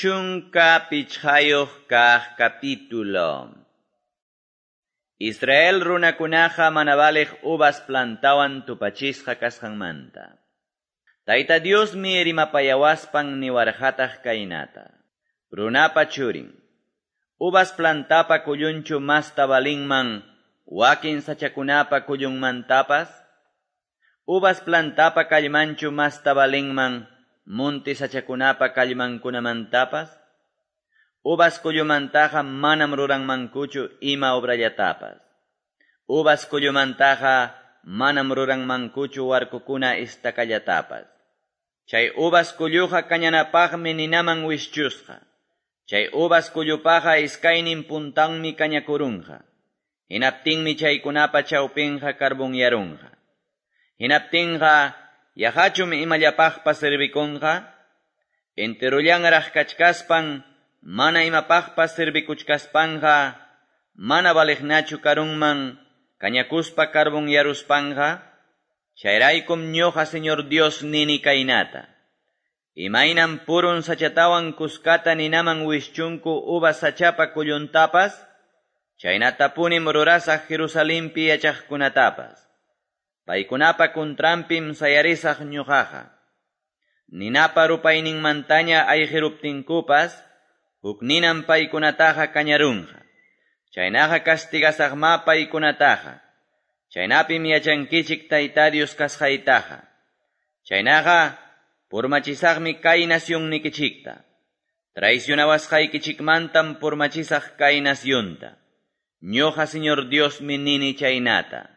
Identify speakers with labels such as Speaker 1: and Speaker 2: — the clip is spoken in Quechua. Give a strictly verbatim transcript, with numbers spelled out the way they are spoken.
Speaker 1: Chunka pichqayuq kaq capítulo. Israel runakunaqa mana valiq uvas plantawan tupachisqa kasqanmanta. Tayta Diosmi rimapayawaspan niwarqataq kaynata. Runapa churin. Uvas plantapa kullunchu masta valinman wakin sachakunapa kullunmantapas. Uvas plantapa kallmanchu masta valinman munti sachakunapa kallmankunamantapas. Uvas kullumantaqa manam ruranmankuchu ima obrallatapas. Uvas kullumantaqa manam ruranmankuchu warkukuna istakallatapas. Chay uvas kulluqa kañanapaqmi ninaman wischusqa. Chay uvas kullupaqa iskaynin puntanmi kañakurunqa. Hinaptinmi chaykunapa chawpinqa karbunyarunqa. Hinaptinqa yaqachum imallapaqpas servikunqa. Enterullanraq kachkaspan mana imapaqpas servikuchkaspanqa mana valiqnachu karunman kañakuspa karbunyaruspanqa. Chayraykum ñuqa Señor Dios nini kaynata. Imaynam purun sachatawan kuskata ninaman wischunku uvas sachapa kulluntapas, chaynatapunim rurasaq Jerusalenpi yachaqkunatapas. Paykunapa kuntranpim sayarisaq ñuqaqa. Ninapa rupayninmantaña ayqiruptinkupas, huk ninam paykunataqa kañarunqa. Chaynaqa castigasaqma paykunataqa. Chaynapim yachankichik Tayta Dios kasqaytaqa. Chaynaqa purmachisaqmi kay nacionnikichikta. Traicionawasqaykichikmantam purmachisaq kay nacionta. Ñuqa Señor Diosmi nini chaynata.